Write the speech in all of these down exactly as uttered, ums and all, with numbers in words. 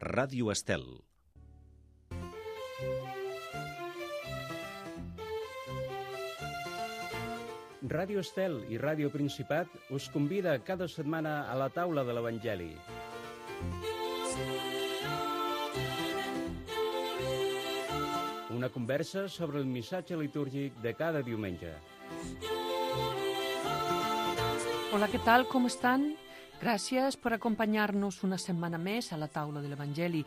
Ràdio Estel. Ràdio Estel i Ràdio Principat us convida cada setmana a la taula de l'Evangeli. Una conversa sobre el missatge litúrgic de cada diumenge. Hola, què tal? Com estan? Gràcies per acompanyar-nos una setmana més a la taula de l'Evangeli.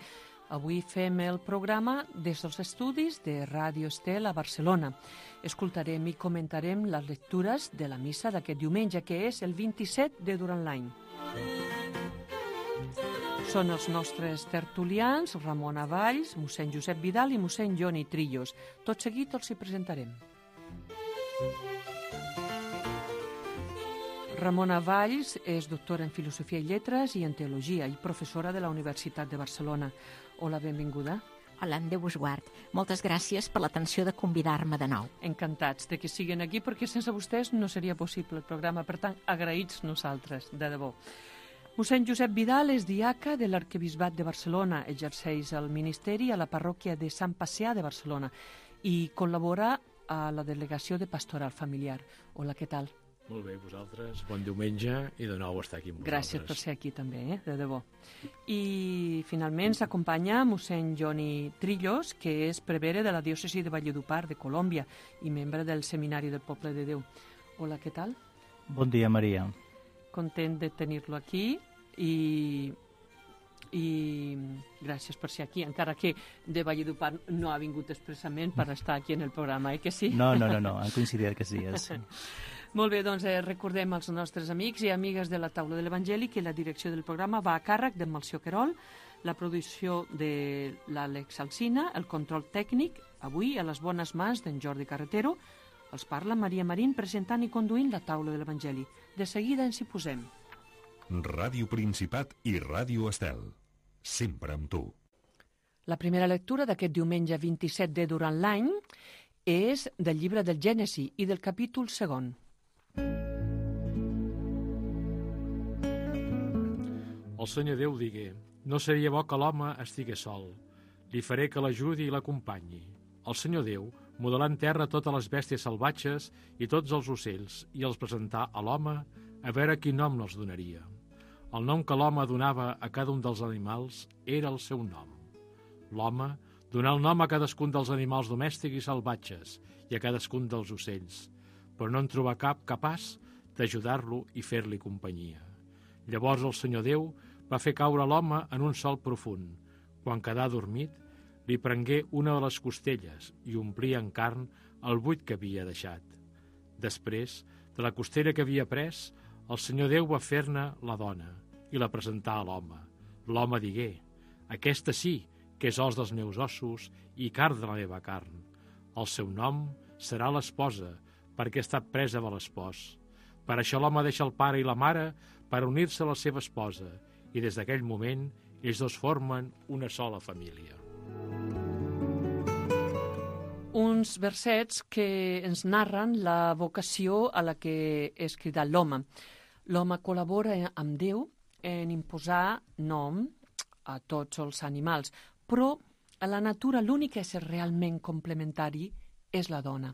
Avui fem el programa des dels estudis de Ràdio Estel a Barcelona. Escoltarem i comentarem les lectures de la missa d'aquest diumenge, que és el vint-i-set de durant l'any. Són els nostres tertulians, Ramona Valls, mossèn Josep Vidal i mossèn Joni Trillos. Tot seguit els hi presentarem. Ramona Valls és doctora en Filosofia i Lletres i en Teologia i professora de la Universitat de Barcelona. Hola, benvinguda. Hola, en Déu us guard. Moltes gràcies per l'atenció de convidar-me de nou. Encantats de que siguin aquí, perquè sense vostès no seria possible el programa. Per tant, agraïts nosaltres, de debò. Mossèn Josep Vidal és diaca de l'Arquebisbat de Barcelona, exerceix el ministeri a la parròquia de Sant Pacià de Barcelona i col·labora a la delegació de pastoral familiar. Hola, què tal? Molt bé, vosaltres. Bon diumenge i de nou estar aquí amb vosaltres. Gràcies per ser aquí també, eh? de debò. I finalment s'acompanya mossèn Joni Trillos, que és prevere de la diòcesi de Valledupar, de Colòmbia, i membre del Seminari del Poble de Déu. Hola, què tal? Bon dia, Maria. Content de tenir-lo aquí i... i gràcies per ser aquí, encara que de Valledupar no ha vingut expressament per estar aquí en el programa, eh que sí? No, no, no, no. Han coincidit que sí. És... Molt bé, doncs eh, recordem als nostres amics i amigues de la taula de l'Evangeli que la direcció del programa va a càrrec de Melcior Querol, la producció de l'Àlex Alsina, el control tècnic, avui a les bones mans d'en Jordi Carretero. Els parla Maria Marín presentant i conduint la taula de l'Evangeli. De seguida ens hi posem. Ràdio Principat i Ràdio Estel. Sempre amb tu. La primera lectura d'aquest diumenge vint-i-set de durant l'any és del llibre del Gènesi i del capítol segon. El Senyor Déu digué: no seria bo que l'home estigués sol. Li faré que l'ajudi i l'acompanyi. El Senyor Déu modelà en terra totes les bèsties salvatges i tots els ocells i els presentà a l'home a veure quin nom els donaria. El nom que l'home donava a cada un dels animals era el seu nom. L'home donà el nom a cadascun dels animals domèstics i salvatges i a cadascun dels ocells, però no en trobà cap capaç d'ajudar-lo i fer-li companyia. Llavors el Senyor Déu va fer caure l'home en un sol profund. Quan quedà dormit, li prengué una de les costelles i omplí en carn el buit que havia deixat. Després, de la costella que havia pres, el Senyor Déu va fer-ne la dona i la presentà a l'home. L'home digué: aquesta sí que és os dels meus ossos i carn de la meva carn. El seu nom serà l'esposa, perquè ha estat presa de l'espòs. Per això l'home deixa el pare i la mare per unir-se a la seva esposa, i des d'aquell moment ells dos formen una sola família. Uns versets que ens narren la vocació a la que és cridat l'home. L'home col·labora amb Déu en imposar nom a tots els animals, però a la natura l'únic ésser realment complementari és la dona.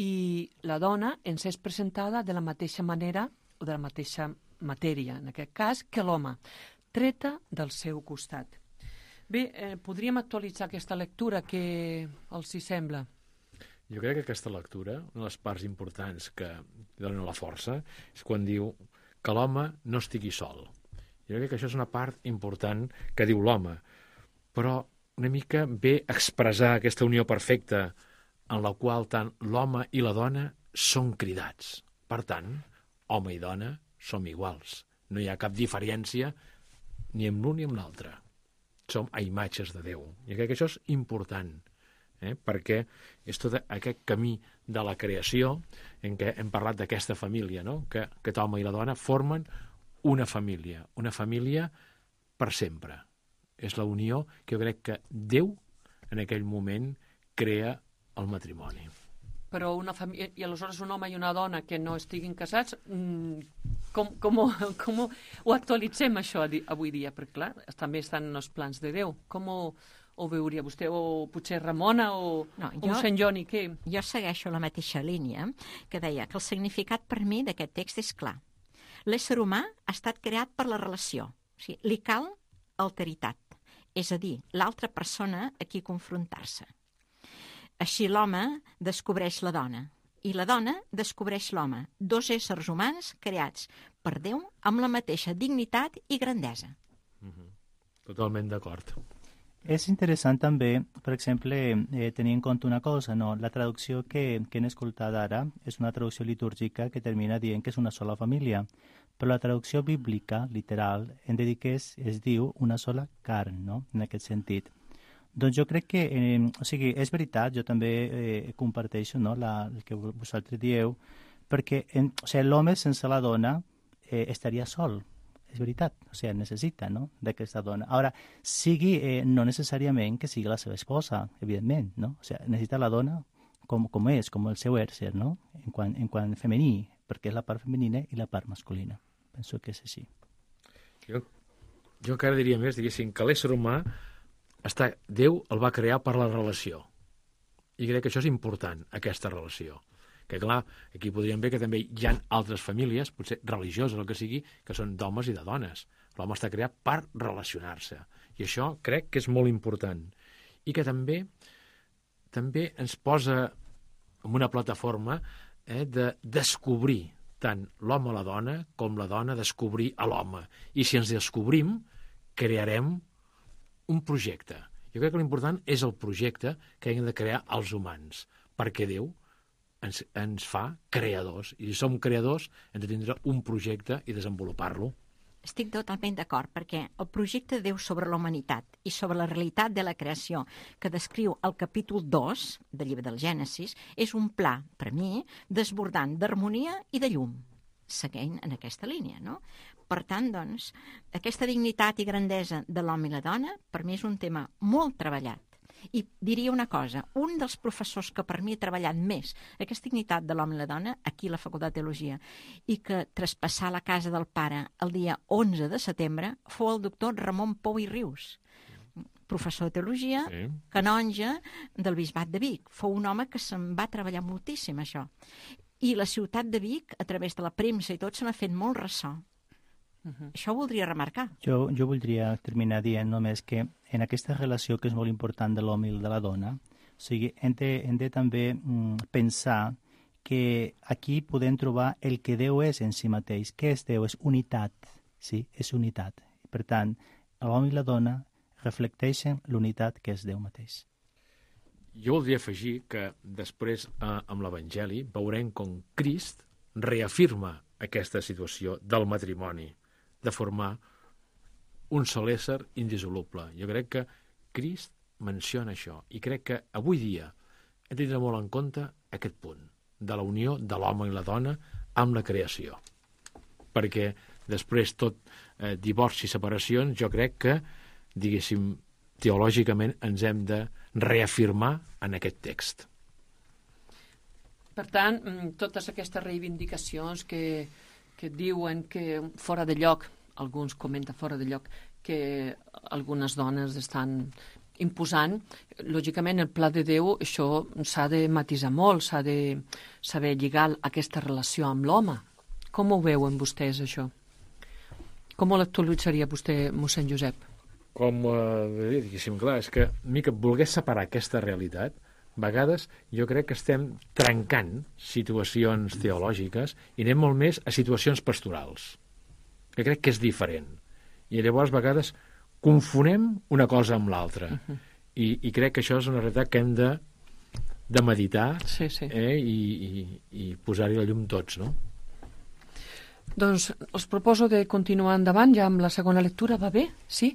I la dona ens és presentada de la mateixa manera o de la mateixa matèria, en aquest cas, que l'home, treta del seu costat. Bé, eh, podríem actualitzar aquesta lectura, que els hi sembla? Jo crec que aquesta lectura, una de les parts importants que dona la força, és quan diu que l'home no estigui sol. Jo crec que això és una part important que diu l'home, però una mica ve expressar aquesta unió perfecta en la qual tant l'home i la dona són cridats. Per tant, home i dona som iguals. No hi ha cap diferència ni amb l'un ni amb l'altre. Som a imatges de Déu. I crec que això és important, eh? perquè és tot aquest camí de la creació en què hem parlat d'aquesta família, no? que aquest home i la dona formen una família, una família per sempre. És la unió que jo crec que Déu en aquell moment crea el matrimoni. Però una família, i aleshores un home i una dona que no estiguin casats, mmm, com, com, com ho actualitzem això avui dia? Perquè, clar, també estan en els plans de Déu. Com ho, ho veuria vostè? O potser Ramona o, no, o jo, Sant Joni? Què? Jo segueixo la mateixa línia que deia que el significat per mi d'aquest text és clar. L'ésser humà ha estat creat per la relació. O sigui, li cal alteritat, és a dir, l'altra persona a qui confrontar-se. Així l'home descobreix la dona i la dona descobreix l'home, dos éssers humans creats per Déu amb la mateixa dignitat i grandesa. Mm-hmm. Totalment d'acord. És interessant també, per exemple, eh, tenir en compte una cosa, no? La traducció que, que hem escoltat ara és una traducció litúrgica que termina dient que és una sola família, però la traducció bíblica, literal, hem de dir que és, es diu una sola carn, no? En aquest sentit. Doncs jo crec que, eh, o sigui, és veritat, jo també eh, comparteixo, no? La, el que vosaltres dieu, perquè en, o sigui, l'home sense la dona eh, estaria sol. És veritat, o sigui, necessita, no?, d'aquesta dona. Ara, sigui, eh, no necessàriament que sigui la seva esposa, evidentment, no? O sigui, necessita la dona com, com és, com el seu ésser, no?, en quant, en quant femení, perquè és la part femenina i la part masculina. Penso que és així. Jo, jo encara diria més, diguéssim, que l'ésser humà està, Déu el va crear per la relació. I crec que això és important, aquesta relació. Que clar, aquí podríem veure que també hi ha altres famílies, potser religioses o el que sigui, que són d'homes i de dones. L'home està creat per relacionar-se. I això crec que és molt important. I que també també ens posa en una plataforma eh, de descobrir tant l'home a la dona com la dona descobrir a l'home. I si ens descobrim, crearem un projecte. Jo crec que l'important és el projecte que hem de crear els humans, perquè Déu ens, ens fa creadors, i si som creadors hem de tindre un projecte i desenvolupar-lo. Estic totalment d'acord, perquè el projecte de Déu sobre la humanitat i sobre la realitat de la creació que descriu el capítol dos del llibre del Gènesis és un pla, per mi, desbordant d'harmonia i de llum, seguint en aquesta línia, no? Per tant, doncs, aquesta dignitat i grandesa de l'home i la dona, per mi és un tema molt treballat. I diria una cosa, un dels professors que per mi ha treballat més aquesta dignitat de l'home i la dona, aquí a la Facultat de Teologia, i que traspassà la casa del pare el dia onze de setembre, fou el doctor Ramon Pou i Rius, professor de Teologia, sí. Canonge del Bisbat de Vic. Fou un home que se'n va treballar moltíssim, això. I la ciutat de Vic, a través de la premsa i tot, se n'ha fet molt ressò. Uh-huh. Això ho voldria remarcar. Jo, jo voldria terminar dient només que en aquesta relació que és molt important de l'home i de la dona, o sigui, hem de, hem de també mm, pensar que aquí podem trobar el que Déu és en si mateix. Què és Déu? És unitat, sí? És unitat. Per tant, l'home i la dona reflecteixen l'unitat que és Déu mateix. Jo voldria afegir que després, eh, amb l'Evangeli, veurem com Crist reafirma aquesta situació del matrimoni, de formar un sol ésser indissoluble. Jo crec que Crist menciona això i crec que avui dia hem de tenir molt en compte aquest punt de la unió de l'home i la dona amb la creació. Perquè després tot eh, divorci i separacions, jo crec que, diguéssim, teològicament ens hem de reafirmar en aquest text. Per tant, totes aquestes reivindicacions que que diuen que fora de lloc, alguns comenten fora de lloc, que algunes dones estan imposant, lògicament el pla de Déu això s'ha de matisar molt, s'ha de saber lligar aquesta relació amb l'home. Com ho veuen vostès, això? Com l'actualitzaria vostè, mossèn Josep? Com, eh, diguéssim, clar, és que a mi que volgués separar aquesta realitat, a vegades jo crec que estem trencant situacions teològiques i anem molt més a situacions pastorals, que crec que és diferent. I llavors a vegades confonem una cosa amb l'altra. Uh-huh. I, I crec que això és una realitat que hem de, de meditar sí, sí. Eh, i, i, i posar-hi la llum tots, no? Doncs els proposo de continuar endavant ja amb la segona lectura, va bé? Sí?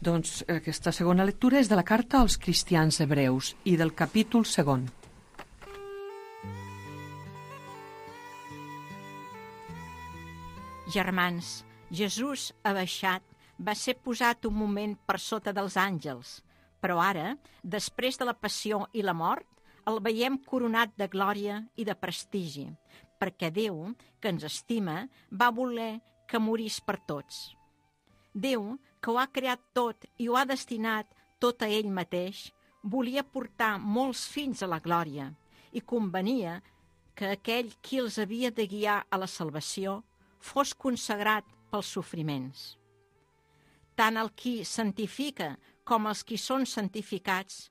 Doncs aquesta segona lectura és de la carta als cristians hebreus i del capítol segon. Germans, Jesús ha baixat, va ser posat un moment per sota dels àngels, però ara, després de la passió i la mort, el veiem coronat de glòria i de prestigi, perquè Déu, que ens estima, va voler que morís per tots. Déu, que ho ha creat tot i ho ha destinat tot a ell mateix, volia portar molts fills a la glòria i convenia que aquell qui els havia de guiar a la salvació fos consagrat pels sofriments. Tant el qui santifica com els qui són santificats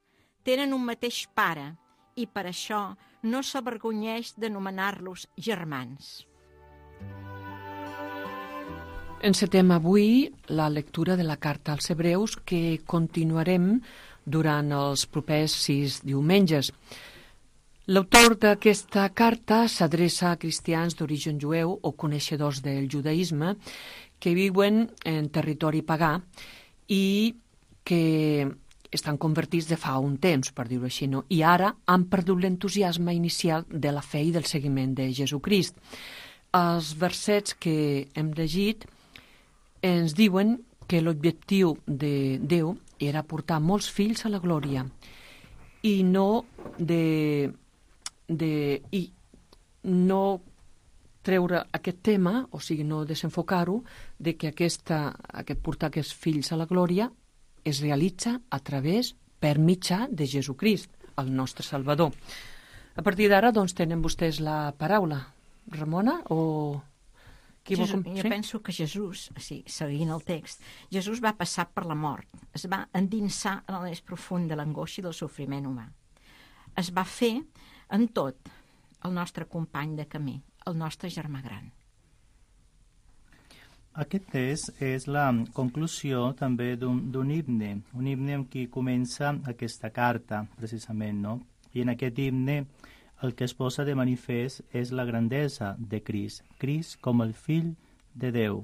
tenen un mateix pare i per això no s'avergonyeix d'anomenar-los germans. Encetem avui la lectura de la carta als Hebreus que continuarem durant els propers sis diumenges. L'autor d'aquesta carta s'adreça a cristians d'origen jueu o coneixedors del judaïsme que viuen en territori pagà i que estan convertits de fa un temps, per dir-ho així, no? I ara han perdut l'entusiasme inicial de la fe i del seguiment de Jesucrist. Els versets que hem llegit ens diuen que l'objectiu de Déu era portar molts fills a la glòria i no de, de i no treure aquest tema, o sigui, no desenfocar-ho, de que aquesta, aquest portar aquests fills a la glòria es realitza a través, per mitjà de Jesucrist, el nostre Salvador. A partir d'ara, doncs, tenen vostès la paraula. Ramona, o... Qui Jesús, vol... jo sí? penso que Jesús, sí, seguint el text, Jesús va passar per la mort, es va endinsar en el més profund de l'angoixa i del sofriment humà. Es va fer en tot el nostre company de camí, el nostre germà gran. Aquest és, és la conclusió també d'un himne, un himne amb qui comença aquesta carta, precisament, no? I en aquest himne el que es posa de manifest és la grandesa de Crist, Crist com el fill de Déu.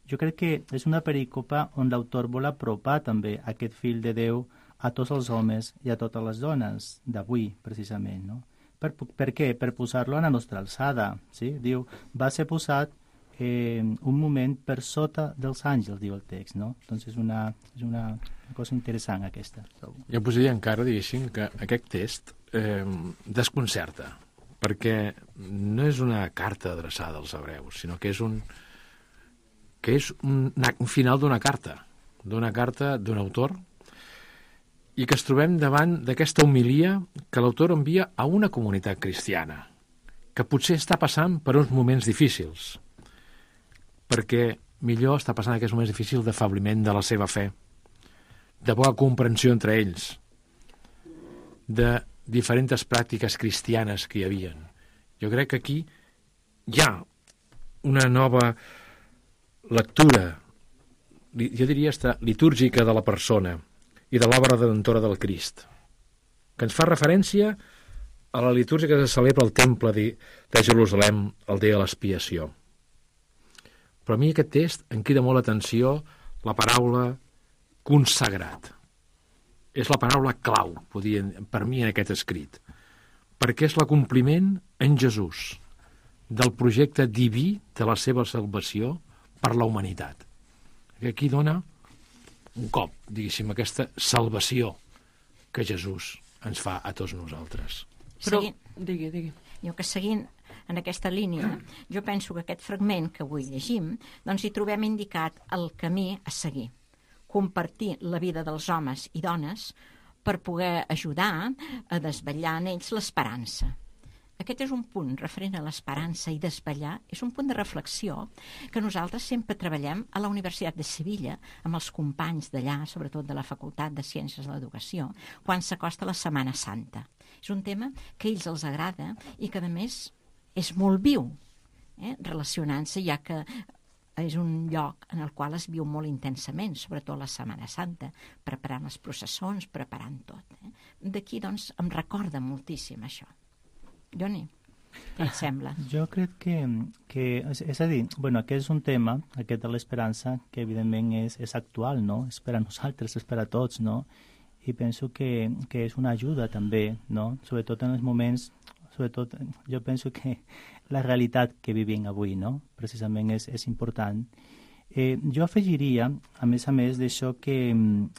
Jo crec que és una perícopa on l'autor vol apropar també aquest fill de Déu a tots els homes i a totes les dones d'avui, precisament, no? Per, per què? Per posar-lo a la nostra alçada, sí? Diu, va ser posat Eh, un moment per sota dels àngels, diu el text, no? Doncs és una, és una, una cosa interessant aquesta. Jo posaria encara, diguéssim, que aquest text eh, desconcerta, perquè no és una carta adreçada als hebreus, sinó que és un, que és un, un final d'una carta, d'una carta d'un autor, i que es trobem davant d'aquesta homilia que l'autor envia a una comunitat cristiana, que potser està passant per uns moments difícils, perquè millor està passant aquests moments difícils d'afabliment de la seva fe, de poca comprensió entre ells, de diferents pràctiques cristianes que hi havia. Jo crec que aquí hi ha una nova lectura, jo diria esta, litúrgica de la persona i de l'obra redentora del Crist, que ens fa referència a la litúrgia que se celebra al temple de, de Jerusalem el dia de l'expiació. Però a mi aquest text em crida molt l'atenció la paraula consagrat. És la paraula clau, podria, per mi, en aquest escrit, perquè és l'acompliment en Jesús del projecte diví de la seva salvació per la humanitat. Que aquí dona un cop, diguéssim, aquesta salvació que Jesús ens fa a tots nosaltres. Però, Seguint, digui, digui. jo que seguint en aquesta línia, jo penso que aquest fragment que avui llegim, doncs hi trobem indicat el camí a seguir. Compartir la vida dels homes i dones per poder ajudar a desvetllar en ells l'esperança. Aquest és un punt referent a l'esperança i desvetllar, és un punt de reflexió que nosaltres sempre treballem a la Universitat de Sevilla amb els companys d'allà, sobretot de la Facultat de Ciències de l'Educació, quan s'acosta la Setmana Santa. És un tema que a ells els agrada i que, a més, és molt viu, eh? relacionant-se, ja que és un lloc en el qual es viu molt intensament, sobretot la Setmana Santa, preparant les processons, preparant tot. Eh? D'aquí, doncs, em recorda moltíssim això. Joni, què et sembla? Jo crec que, que és, és a dir, bueno, aquest és un tema, aquest de l'esperança, que evidentment és, és actual, no? És per a nosaltres, és per a tots, no? I penso que, que és una ajuda també, no? Sobretot en els moments, sobretot jo penso que la realitat que vivim avui, no? Precisament és, és important. Eh, jo afegiria, a més a més d'això, que,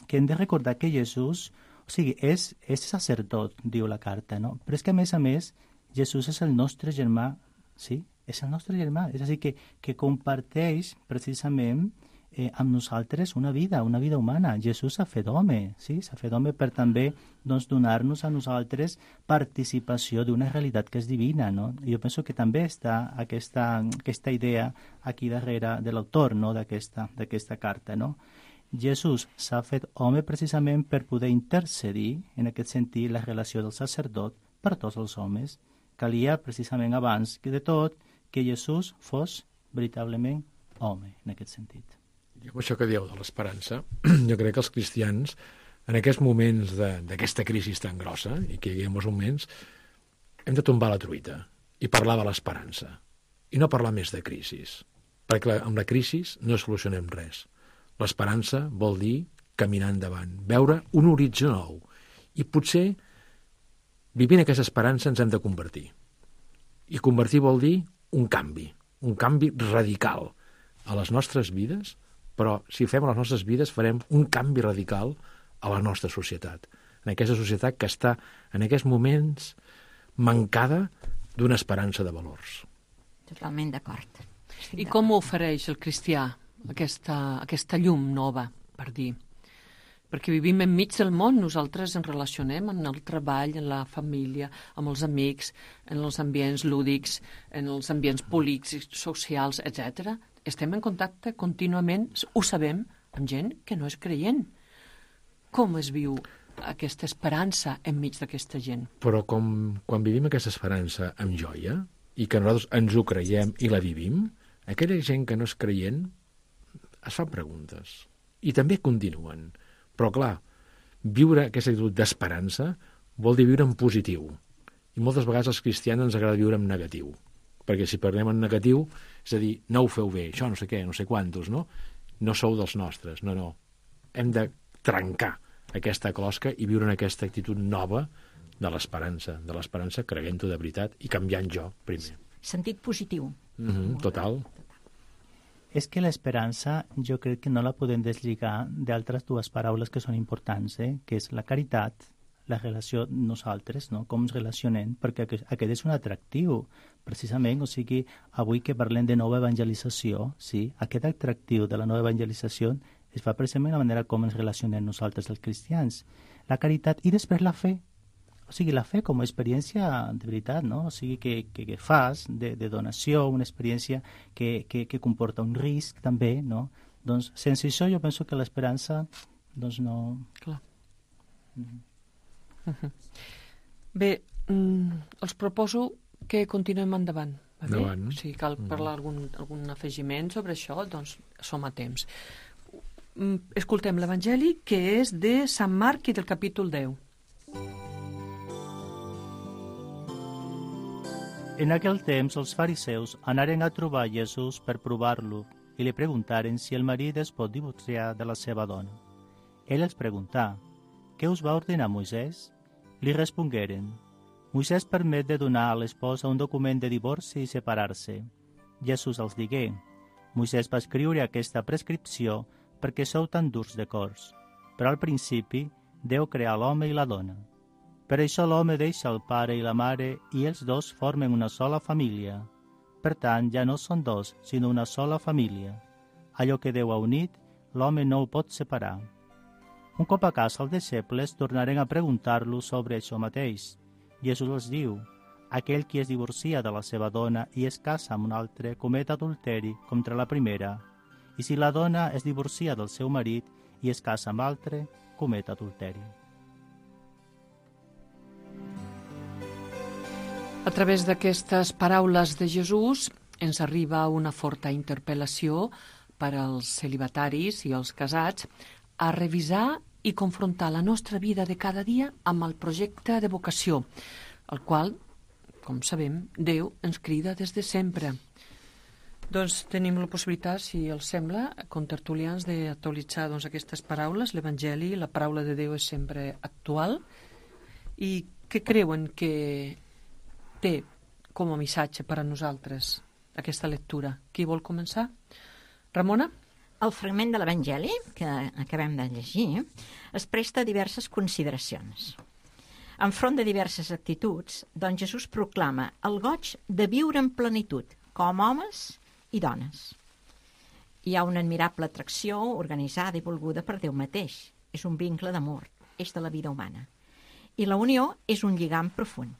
que hem de recordar que Jesús, o sigui, és, és sacerdot, diu la carta, no? Però és que a més a més Jesús és el nostre germà sí? És el nostre germà. És a dir, que, que comparteix precisament eh, amb nosaltres una vida, una vida humana. Jesús s'ha fet home, sí? S'ha fet home per també doncs, donar-nos a nosaltres participació d'una realitat que és divina, no? I jo penso que també està aquesta, aquesta idea aquí darrere de l'autor, no? d'aquesta d'aquesta carta, no? Jesús s'ha fet home precisament per poder intercedir, en aquest sentit, la relació del sacerdot per tots els homes. Calia precisament abans que de tot que Jesús fos veritablement home, en aquest sentit. I amb això que dieu de l'esperança, jo crec que els cristians, en aquests moments d'aquesta crisi tan grossa, i que hi ha molts moments, hem de tombar la truita i parlar de l'esperança. I no parlar més de crisis, perquè amb la crisi no solucionem res. L'esperança vol dir caminar endavant, veure un horitzó nou. I potser, vivint aquesta esperança, ens hem de convertir. I convertir vol dir un canvi, un canvi radical a les nostres vides, però si fem a les nostres vides farem un canvi radical a la nostra societat, en aquesta societat que està en aquests moments mancada d'una esperança de valors. Totalment d'acord. I com ho ofereix el cristià, aquesta, aquesta llum nova, per dir? Perquè vivim enmig del món, nosaltres ens relacionem en el treball, en la família, amb els amics, en els ambients lúdics, en els ambients polítics, socials, etcètera. Estem en contacte contínuament, ho sabem, amb gent que no és creient. Com es viu aquesta esperança enmig d'aquesta gent? Però com, quan vivim aquesta esperança amb joia, i que nosaltres ens ho creiem i la vivim, aquella gent que no és creient es fan preguntes. I també continuen. Però, clar, viure aquesta actitud d'esperança vol dir viure en positiu. I moltes vegades als cristians ens agrada viure en negatiu. Perquè si parlem en negatiu, és a dir, no ho feu bé, això no sé què, no sé quantos, no? No sou dels nostres, no, no. Hem de trencar aquesta closca i viure en aquesta actitud nova de l'esperança, de l'esperança creient-ho de veritat i canviant jo primer. Sentit positiu. Mm-hmm, total. És que l'esperança jo crec que no la podem deslligar d'altres dues paraules que són importants, eh? Que és la caritat, la relació nosaltres, no? Com ens relacionem, perquè aquest és un atractiu, precisament, o sigui, avui que parlem de nova evangelització, sí? Aquest atractiu de la nova evangelització es fa precisament la manera com ens relacionem nosaltres els cristians. La caritat i després la fe. O sigui, la fe com a experiència de veritat, no? O sigui, que, que, que fas de, de donació, una experiència que, que, que comporta un risc també, no? Doncs sense això jo penso que l'esperança, doncs no... Clar. Mm-hmm. Uh-huh. Bé, mm, els proposo que continuem endavant. Va bé? Endavant. Si cal parlar algun, algun afegiment sobre això, doncs som a temps. Mm, escoltem l'Evangeli, que és de Sant Marc i del capítol deu. En aquell temps els fariseus anaren a trobar Jesús per provar-lo i li preguntaren si el marit es pot divorciar de la seva dona. Ell els preguntà, què us va ordenar Moisès? Li respongueren, Moisès permet de donar a l'esposa un document de divorci i separar-se. Jesús els digué, Moisès va escriure aquesta prescripció perquè sou tan durs de cors, però al principi Déu creà l'home i la dona. Per això l'home deixa el pare i la mare i els dos formen una sola família. Per tant, ja no són dos, sinó una sola família. Allò que Déu ha unit, l'home no ho pot separar. Un cop a casa els deixebles tornaren a preguntar-lo sobre això mateix. Jesús els diu, aquell qui es divorcia de la seva dona i es casa amb un altre comet adulteri contra la primera. I si la dona es divorcia del seu marit i es casa amb altre, comet adulteri. A través d'aquestes paraules de Jesús ens arriba una forta interpel·lació per als celibataris i els casats a revisar i confrontar la nostra vida de cada dia amb el projecte de vocació, el qual, com sabem, Déu ens crida des de sempre. Doncs tenim la possibilitat, si els sembla, contertulians, d'actualitzar doncs, aquestes paraules. L'Evangeli, la paraula de Déu és sempre actual. I què creuen que té com a missatge per a nosaltres aquesta lectura? Qui vol començar? Ramona? El fragment de l'Evangeli que acabem de llegir es presta a diverses consideracions. Enfront de diverses actituds, doncs Jesús proclama el goig de viure en plenitud, com homes i dones. Hi ha una admirable atracció organitzada i volguda per Déu mateix. És un vincle d'amor, és de la vida humana. I la unió és un lligam profund.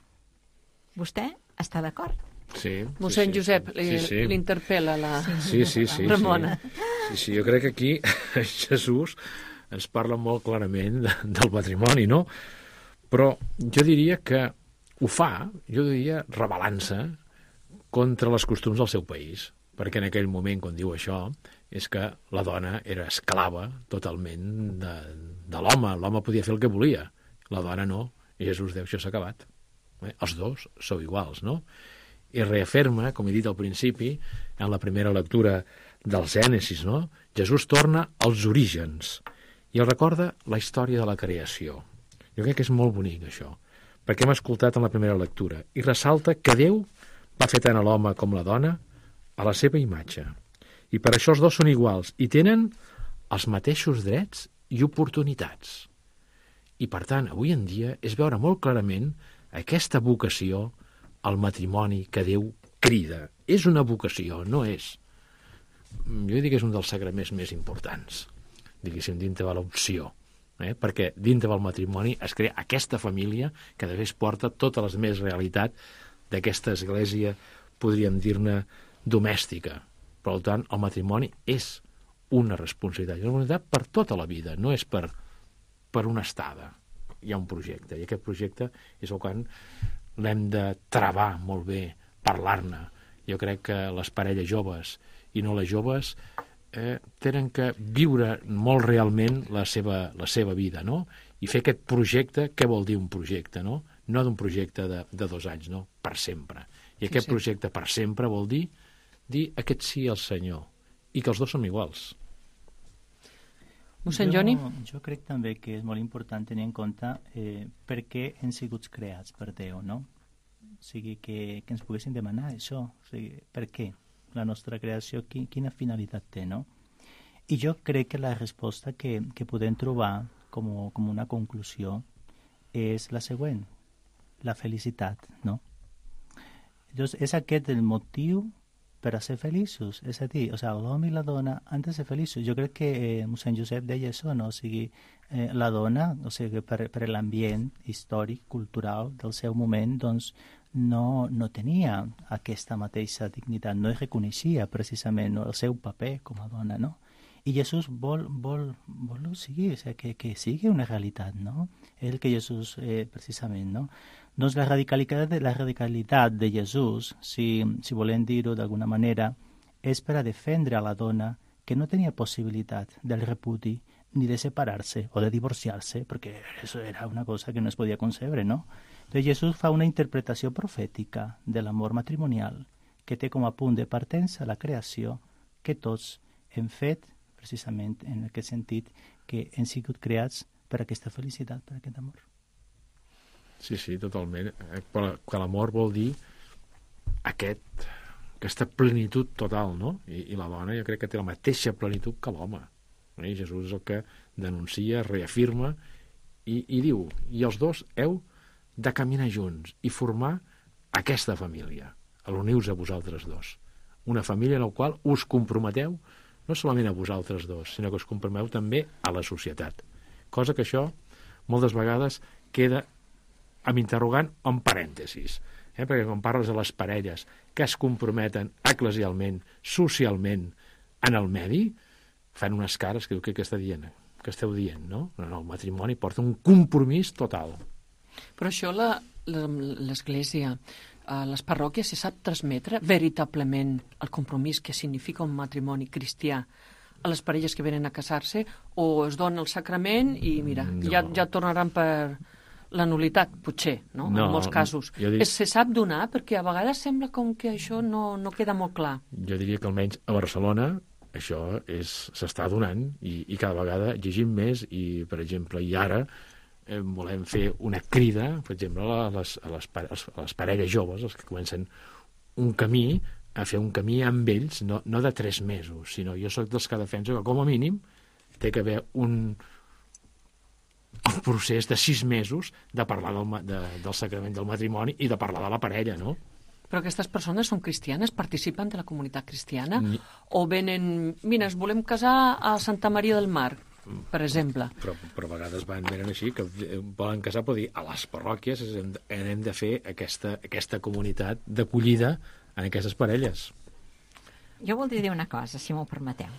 Vostè està d'acord? Sí. Mossèn sí, Josep, sí, sí, sí. l'interpel·la la Sí, sí, sí, Ramona. Sí. sí, sí, jo crec que aquí Jesús ens parla molt clarament de, del matrimoni, no? Però jo diria que ho fa, jo diria, rebel·lant-se contra les costums del seu país, perquè en aquell moment, quan diu això, és que la dona era esclava totalment de, de l'home. L'home podia fer el que volia, la dona no. I Jesús diu, això s'ha acabat. Eh? Els dos sou iguals, no? I reafirma, com he dit al principi, en la primera lectura del Gènesis, no? Jesús torna als orígens i el recorda la història de la creació. Jo crec que és molt bonic, això, perquè hem escoltat en la primera lectura, i ressalta que Déu va fer tant a l'home com la dona a la seva imatge. I per això els dos són iguals i tenen els mateixos drets i oportunitats. I, per tant, avui en dia és veure molt clarament aquesta vocació al matrimoni que Déu crida. És una vocació, no és... Jo diria que és un dels sagraments més importants, diguéssim, dintre de l'opció. Eh? Perquè dintre del matrimoni es crea aquesta família que després porta totes les més realitat d'aquesta església, podríem dir-ne, domèstica. Per tant, el matrimoni és una responsabilitat, una responsabilitat per tota la vida, no és per, per una estada. Hi ha un projecte, i aquest projecte és el quan l'hem de travar molt bé, parlar-ne. Jo crec que les parelles joves i no les joves eh, tenen que viure molt realment la seva, la seva vida, no? I fer aquest projecte, què vol dir un projecte, no? No d'un projecte de, de dos anys, no? Per sempre. I aquest sí, sí. projecte per sempre vol dir dir aquest sí al Senyor, i que els dos som iguals. Mossèn Joni? Jo, jo crec també que és molt important tenir en compte eh, per què hem sigut creats per Déu, no? O sigui, que, que ens poguessin demanar això. O sigui, per què? La nostra creació, qui, quina finalitat té, no? I jo crec que la resposta que, que podem trobar com, com una conclusió és la següent, la felicitat, no? Llavors, és aquest el motiu per a ser feliços, és a dir, o sigui, l'home i la dona han de ser feliços. Jo crec que eh, mossèn Josep deia això, no? O sigui, eh, la dona, o sigui, per, per l'ambient històric, cultural del seu moment, doncs, no, no tenia aquesta mateixa dignitat, no es reconeixia precisament, no, el seu paper com a dona, no? I Jesús vol, vol, vol o sigui, o sigui, que, que sigui una realitat, no? És el que Jesús, eh, precisament, no? Doncs la radicalitat de, la radicalitat de Jesús, si, si volem dir-ho d'alguna manera, és per a defendre a la dona que no tenia possibilitat del repudi ni de separar-se o de divorciar-se, perquè això era una cosa que no es podia concebre, no? Entonces Jesús fa una interpretació profètica de l'amor matrimonial que té com a punt de partença la creació que tots hem fet precisament en aquest sentit que hem sigut creats per aquesta felicitat, per aquest amor. Sí, sí, totalment. Que l'amor vol dir aquest, aquesta plenitud total, no? I, i la dona jo crec que té la mateixa plenitud que l'home. I Jesús és el que denuncia, reafirma i, i diu, i els dos heu de caminar junts i formar aquesta família. Uniu-vos a vosaltres dos. Una família en la qual us comprometeu no solament a vosaltres dos, sinó que us comprometeu també a la societat. Cosa que això moltes vegades queda amb interrogant o en parèntesis. Eh? Perquè quan parles de les parelles que es comprometen eclesialment, socialment, en el medi, fan unes cares que diu, què està dient? Que esteu dient, no? No, no, el matrimoni porta un compromís total. Però això l'Església, les parròquies, se sap transmetre veritablement el compromís que significa un matrimoni cristià a les parelles que venen a casar-se, o es dona el sacrament i mira, no. ja, ja tornaran per la nulitat, potser, no? no en molts casos. Dic... Es, se sap donar? Perquè a vegades sembla com que això no, no queda molt clar. Jo diria que almenys a Barcelona això s'està donant i, i cada vegada llegim més i, per exemple, i ara eh, volem fer una crida, per exemple, a les, a, les, a les parelles joves, els que comencen un camí, a fer un camí amb ells, no, no de tres mesos, sinó jo sóc dels que defenso que com a mínim té que haver un, el procés de sis mesos de parlar del, de, del sacrament del matrimoni i de parlar de la parella, no? Però aquestes persones són cristianes, participen de la comunitat cristiana? Ni... O venen, mira, ens volem casar a Santa Maria del Mar, per exemple? Però, però a vegades van, venen així, que volen casar, però dir, a les parròquies hem de, hem de fer aquesta, aquesta comunitat d'acollida en aquestes parelles. Jo voldria dir una cosa, si m'ho permeteu.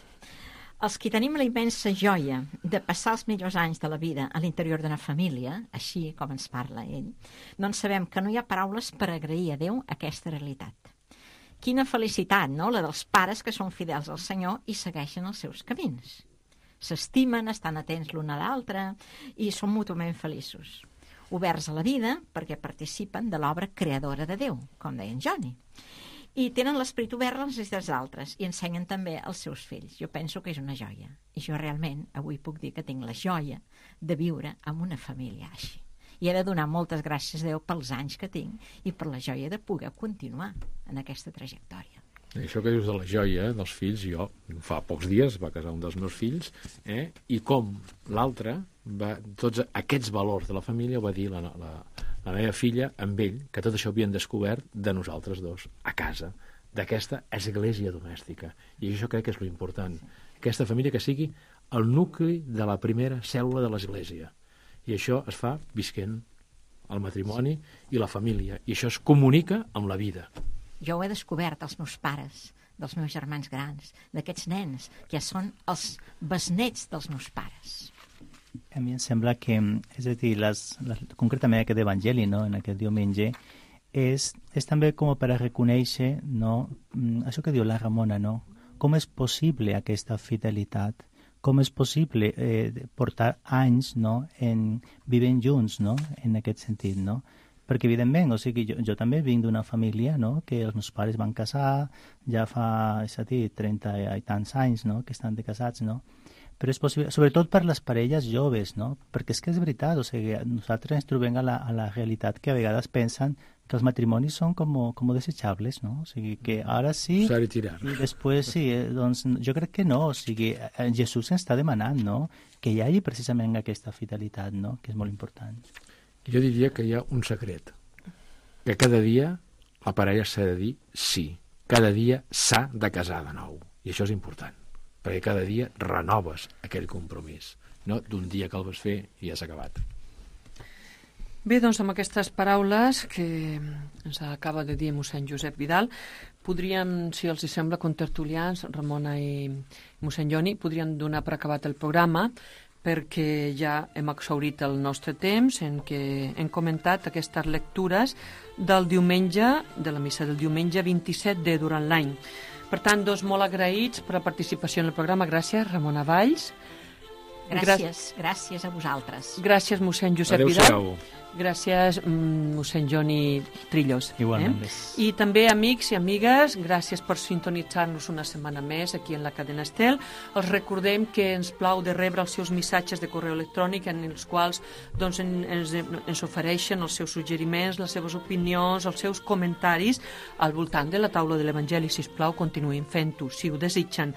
Els que tenim la immensa joia de passar els millors anys de la vida a l'interior d'una família, així com ens parla ell, doncs sabem que no hi ha paraules per agrair a Déu aquesta realitat. Quina felicitat, no?, la dels pares que són fidels al Senyor i segueixen els seus camins. S'estimen, estan atents l'un a l'altre i són mútuament feliços. Oberts a la vida perquè participen de l'obra creadora de Déu, com deia en Johnny. I tenen l'esperit obert a les necessitats d'altres i ensenyen també als seus fills. Jo penso que és una joia. I jo realment avui puc dir que tinc la joia de viure amb una família així. I he de donar moltes gràcies a Déu pels anys que tinc i per la joia de poder continuar en aquesta trajectòria. I això que dius de la joia dels fills, jo fa pocs dies va casar un dels meus fills, eh? I com l'altre, tots aquests valors de la família, ho va dir la, la, la meva filla amb ell, que tot això havien descobert de nosaltres dos, a casa, d'aquesta església domèstica. I això crec que és l'important. Aquesta família que sigui el nucli de la primera cèl·lula de l'església. I això es fa visquent el matrimoni i la família. I això es comunica amb la vida. Jo ho he descobert als meus pares, dels meus germans grans, d'aquests nens, que ja són els besnets dels meus pares. A mi em sembla que, és a dir, les, les, concretament aquest evangeli, no?, en aquest diumenge, és, és també com per a reconèixer, no?, això que diu la Ramona, no?, com és possible aquesta fidelitat, com és possible eh, portar anys, no?, en, vivint junts, no?, en aquest sentit, no?, perquè evidentment, o sigui, jo, jo també vinc d'una família, no?, que els meus pares van casar ja fa, és a dir, trenta i tants anys, no?, que estan de casats, no?, però és possible, sobretot per les parelles joves, no?, perquè és que és veritat, o sigui, nosaltres ens trobem a la, a la realitat que a vegades pensen que els matrimonis són com, com desechables, no?, o sigui, que ara sí i després sí, eh, doncs jo crec que no, o sigui, Jesús ens està demanant, no?, que hi hagi precisament aquesta fidelitat, no?, que és molt important. Jo diria que hi ha un secret, que cada dia la parella s'ha de dir sí, cada dia s'ha de casar de nou, i això és important, perquè cada dia renoves aquell compromís, no d'un dia que el vas fer i ja s'ha acabat. Bé, doncs amb aquestes paraules que ens acaba de dir mossèn Josep Vidal, podríem, si els hi sembla, contertulians, Ramona i mossèn Joni, podríem donar per acabat el programa, perquè ja hem exhaurit el nostre temps en què hem comentat aquestes lectures del diumenge, de la missa del diumenge vint-i-set de durant l'any. Per tant, dos molt agraïts per la participació en el programa. Gràcies, Ramona Valls. Gràcies, gràcies a vosaltres. Gràcies, mossèn Josep Vidal. Gràcies, mossèn Joni Trillos. Igualment. Eh? I també, amics i amigues, gràcies per sintonitzar-nos una setmana més aquí en la cadena Estel. Els recordem que ens plau de rebre els seus missatges de correu electrònic en els quals doncs, ens, ens ofereixen els seus suggeriments, les seves opinions, els seus comentaris al voltant de la taula de l'Evangeli. Sisplau, continuïn fent-ho, si ho desitgen.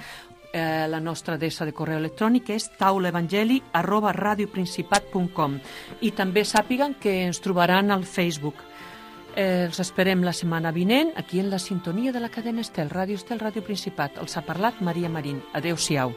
Eh, la nostra adreça de correu electrònic és taulaevangeli arroba radioprincipat punt com i també sàpiguen que ens trobaran al Facebook. Eh, els esperem la setmana vinent aquí en la sintonia de la cadena Estel, Ràdio Estel, Ràdio Principat. Els ha parlat Maria Marín. Adéu-siau.